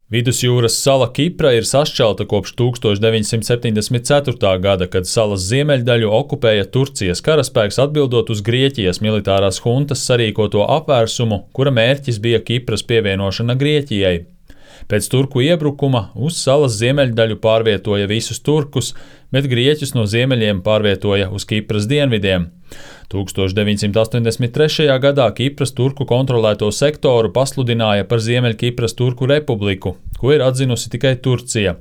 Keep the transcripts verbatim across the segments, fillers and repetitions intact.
Vidusjūras sala Kipra ir sašķelta kopš tūkstoš deviņsimt septiņdesmit ceturtā gada, kad salas ziemeļdaļu okupēja Turcijas karaspēks atbildot uz Grieķijas militārās huntas sarīkoto apvērsumu, kura mērķis bija Kipras pievienošana Grieķijai. Pēc turku iebrukuma uz salas ziemeļdaļu pārvietoja visus turkus, bet grieķus no ziemeļiem pārvietoja uz Kipras dienvidiem. tūkstoš deviņsimt astoņdesmit trešajā gadā Kipras turku kontrolēto sektoru pasludināja par Ziemeļkipras Turku republiku, ko ir atzinusi tikai Turcija.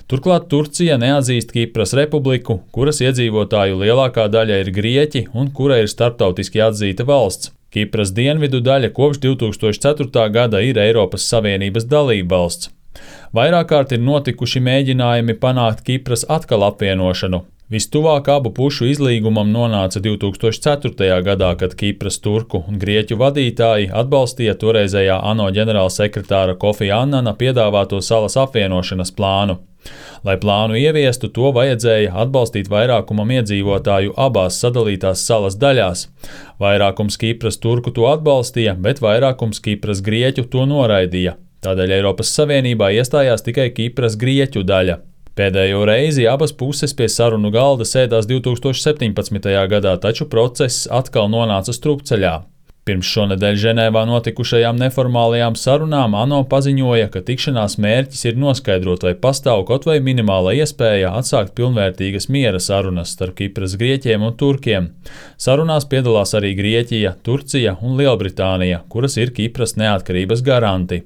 Turklāt Turcija neatzīst Kipras republiku, kuras iedzīvotāju lielākā daļa ir grieķi un kura ir starptautiski atzīta valsts. Kipras dienvidu daļa kopš divtūkstoš ceturtā gada ir Eiropas Savienības dalībvalsts. Vairāk kārt ir notikuši mēģinājumi panākt Kipras atkal apvienošanu. Vistuvāk abu pušu izlīgumam nonāca divtūkstoš ceturtajā gadā, kad Kipras turku un grieķu vadītāji atbalstīja toreizējā ANO ģenerālsekretāra Kofi Annana piedāvāto salas apvienošanas plānu. Lai plānu ieviestu, to vajadzēja atbalstīt vairākumam iedzīvotāju abās sadalītās salas daļās. Vairākums Kipras turku to atbalstīja, bet vairākums Kipras grieķu to noraidīja. Tādēļ Eiropas Savienībā iestājās tikai Kipras grieķu daļa. Pēdējo reizi abas puses pie sarunu galda sēdās divtūkstoš septiņpadsmitajā gadā, taču process atkal nonāca strupceļā. Pirms šonedēļ Ženēvā notikušajām neformālajām sarunām ANO paziņoja, ka tikšanās mērķis ir noskaidrot, vai pastāv kaut vai minimāla iespēja atsākt pilnvērtīgas miera sarunas starp Kipras grieķiem un turkiem. Sarunās piedalās arī Grieķija, Turcija un Lielbritānija, kuras ir Kipras neatkarības garanti.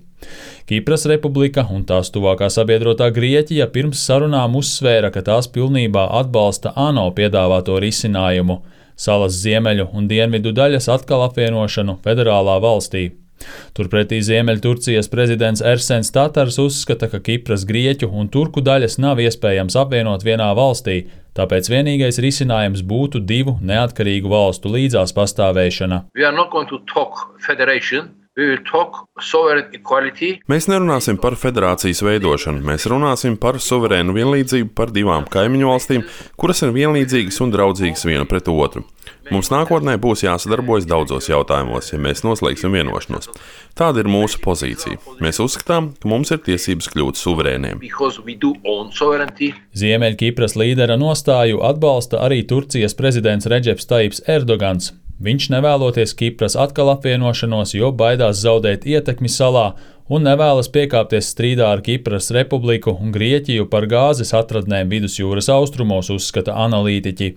Kipras republika un tās tuvākā sabiedrotā Grieķija pirms sarunām uzsvēra, ka tās pilnībā atbalsta ANO piedāvāto risinājumu – salas ziemeļu un dienvidu daļas atkal apvienošanu federālā valstī. Turpretī Ziemeļturcijas prezidents Ersens Tatars uzskata, ka Kipras grieķu un turku daļas nav iespējams apvienot vienā valstī, tāpēc vienīgais risinājums būtu divu neatkarīgu valstu līdzās pastāvēšana. Mēs nerunāsim par federācijas veidošanu, mēs runāsim par suverēnu vienlīdzību par divām kaimiņu valstīm, kuras ir vienlīdzīgas un draudzīgas viena pret otru. Mums nākotnē būs jāsadarbojas daudzos jautājumos, ja mēs noslēgsim vienošanos. Tāda ir mūsu pozīcija. Mēs uzskatām, ka mums ir tiesības kļūt suverēniem. Ziemeļkipras līdera nostāju atbalsta arī Turcijas prezidents Redžeps Tajips Erdogans. Viņš nevēloties Kipras atkal apvienošanos, jo baidās zaudēt ietekmi salā un nevēlas piekāpties strīdā ar Kipras republiku un Grieķiju par gāzes atradnēm vidusjūras austrumos, uzskata analītiķi.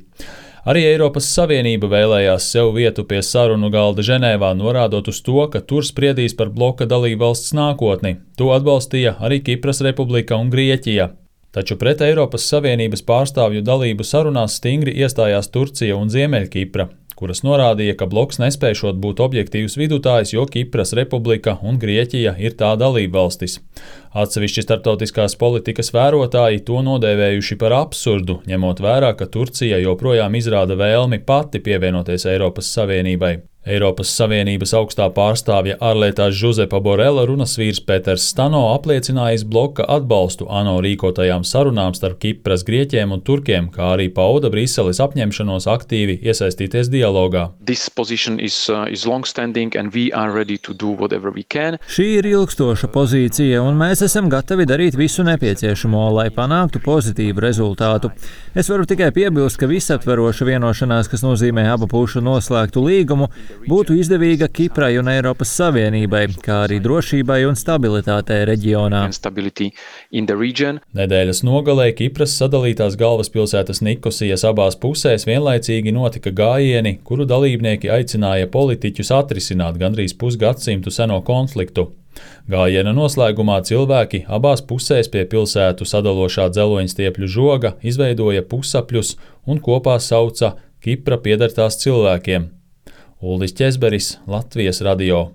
Arī Eiropas Savienība vēlējās sev vietu pie sarunu galda Ženēvā, norādot uz to, ka tur spriedīs par bloka dalībvalsts nākotni. To atbalstīja arī Kipras republika un Grieķija. Taču pret Eiropas Savienības pārstāvju dalību sarunās stingri iestājās Turcija un Ziemeļkipra, kuras norādīja, ka bloks nespēšot būt objektīvs vidutājs, jo Kipras republika un Grieķija ir tā dalībvalstis. Atsevišķi starptautiskās politikas vērotāji to nodēvējuši par absurdu, ņemot vērā, ka Turcija joprojām izrāda vēlmi pati pievienoties Eiropas Savienībai. Eiropas Savienības augstā pārstāvja ārlietās Žuzepa Borela runas vīrs Peters Stano apliecinājis bloka atbalstu ANO rīkotajām sarunām starp Kipras grieķiem un turkiem, kā arī pauda Briseles apņemšanos aktīvi iesaistīties dialogā. Is, uh, is Šī ir ilgstoša pozīcija, un mēs esam gatavi darīt visu nepieciešamo, lai panāktu pozitīvu rezultātu. Es varu tikai piebilst, ka visaptveroša vienošanās, kas nozīmē abu pušu noslēgtu līgumu, būtu izdevīga Kiprai un Eiropas Savienībai, kā arī drošībai un stabilitātei reģionā. Nedēļas nogalē Kipras sadalītās galvaspilsētas Nikosijas abās pusēs vienlaicīgi notika gājieni, kuru dalībnieki aicināja politiķus atrisināt gandrīz pusgadsimtu seno konfliktu. Gājiena noslēgumā cilvēki abās pusēs pie pilsētu sadalošā dzeloņstiepļu žoga izveidoja pusapļus un kopā sauca Kipra pieder tās cilvēkiem. Uldis Ķezberis, Latvijas radio.